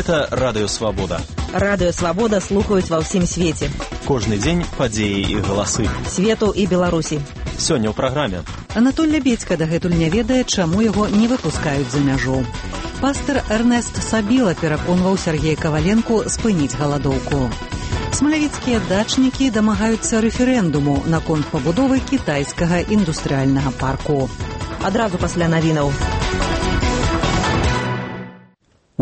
Гэта Радыё Свабода. Радыё Свабода слухаюць ва ўсім свеце. Кожны дзень падзеі і галасы. Свету і Беларусі. Сёння ў праграме. Анатоль Лябедзька дагэтуль не ведае, чаму яго не выпускаюць за мяжу. Пастор Эрнест Сабіла пераконваў Сергея Каваленку спыніць галадоўку. Смалявіцкія дачнікі дамагаюцца рэферэндуму наконт пабудовы кітайскага індустрыяльнага парку. Адразу пасля навінаў.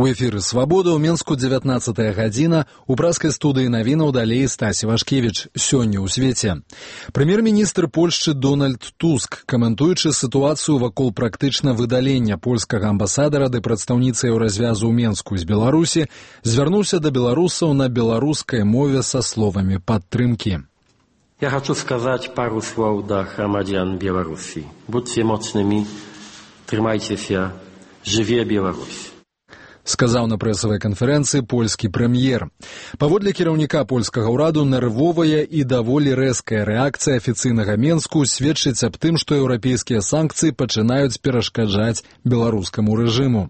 У эфіры «Свабода» ў Менску 19 гадзіна. У праскай студыі навінаў далей Стасі Вашкевіч. Сёння ў свеце. Прэм'ер-міністр Польшчы Дональд Туск, каментуючы сітуацыю вакол практычна выдалення польскага амбасадара ды прадстаўніцы еўразвязу ў Менску з Беларусі, звярнуўся да беларусаў на беларускай мове са словамі падтрымкі. Ja хочу сказать пару слов до громадян Беларуси. Будьте мощными, трымайцеся, жыве Беларусь. Сказаў на прэсавай канферэнцыі польскі прэм'ер. Паводле кіраўніка польскага ўраду, нервовая і даволі рэзкая рэакцыя афіцыйнага Менску сведчыць аб тым, што еўрапейскія санкцыі пачынаюць перашкаджаць беларускаму рэжыму.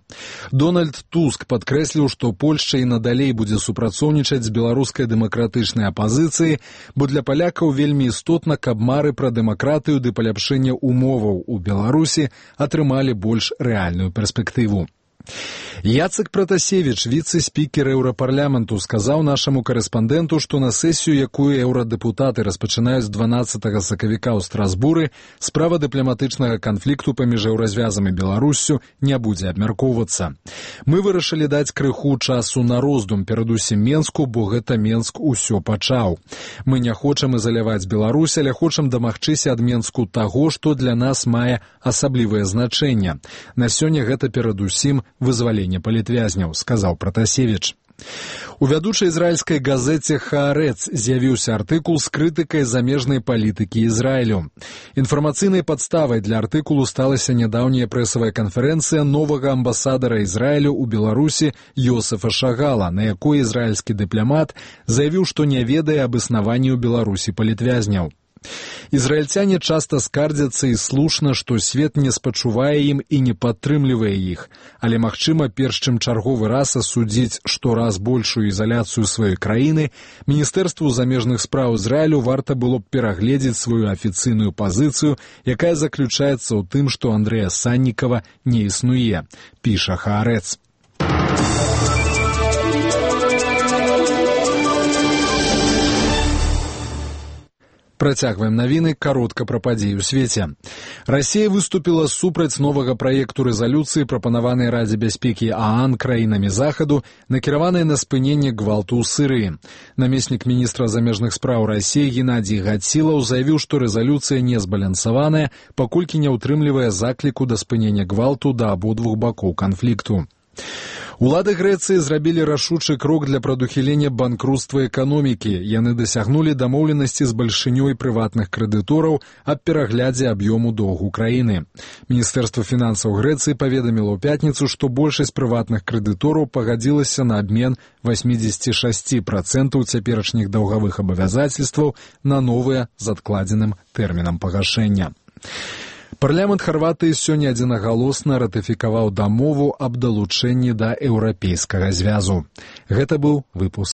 Дональд Туск падкрэсліў, што Польшча і надалей будзе супрацоўнічаць з беларускай дэмакратычнай апазіцыяй, бо для палякаў вельмі істотна, каб мары пра дэмакратыю ды паляпшэнне умоваў у Беларусі атрымалі больш рэальную перспектыву. Яцек Пратасевіч, віцэ-спікер Еўрапарламенту, сказаў нашаму карэспандэнту, што на сесію, якую еўрадэпутаты распачынаюць 12 сакавіка ў Страсбуры, справа дыпламатычнага канфлікту паміж еўразвязам і Беларуссю не будзе абмяркоўвацца. Мы вырашылі даць крыху часу на роздум, перадусім Менску, бо гэта Менск усё пачаў. Мы не хочам ізаляваць Беларусь, але хочам дамагчыся ад Менску таго, што для нас мае асаблівае значэнне. На сёння гэта перадусім вызваленне палітвязняў, сказаў Пратасевіч. У вядучай ізраільскай газеце «Хаарэц» з'явіўся артыкул з крытыкай замежнай палітыкі Ізраілю. Інфармацыйнай падставай для артыкулу сталася нядаўняя прэсавая канферэнцыя новага амбасадара Ізраілю ў Беларусі Йосефа Шагала, на якой ізраільскі дыпламат заявіў, што не ведае аб існаванні ў Беларусі палітвязняў. Ізраільцяне часта скардзяцца і слушна, што свет не спачувае ім і не падтрымлівае іх, але, магчыма, перш чым чарговы раз асудзіць штораз большую ізаляцыю сваёй краіны, Міністэрству замежных спраў Ізраілю варта было б перагледзець сваю афіцыйную пазіцыю, якая заключаецца ў тым, што Андрэя Саннікава не існуе, піша «Хаарэц». Працягваем навіны, каротка пра падзеі ў свеце. Расія выступіла супраць новага праекту рэзалюцыі, прапанаванай Радзе бяспекі ААН краінамі Захаду, накіраванай на спыненне гвалту ў Сірыі. Намеснік міністра замежных спраў Расіі Геннадзій Гатцілаў заявіў, што рэзалюцыя не збалансаваная, паколькі не ўтрымлівае закліку да спынення гвалту да абодвух бакоў канфлікту. Улады Грэцыі зрабілі рашучы крок для прадухілення банкруцтва эканомікі. Яны дасягнулі дамоўленасці з бальшынёй прыватных крэдытораў аб пераглядзе аб'ёму доўгу краіны. Міністэрства фінансаў Грэцыі паведаміла ў пятніцу, што большасць прыватных крэдытораў пагадзілася на абмен 86% цяперашніх даўгавых абавязацельстваў на новыя з адкладзеным тэрмінам пагашэння. Парламент Харватыі сёння адзінагалосна ратыфікаваў дамову аб далучэнні да Еўрапейскага звязу. Гэта быў выпуск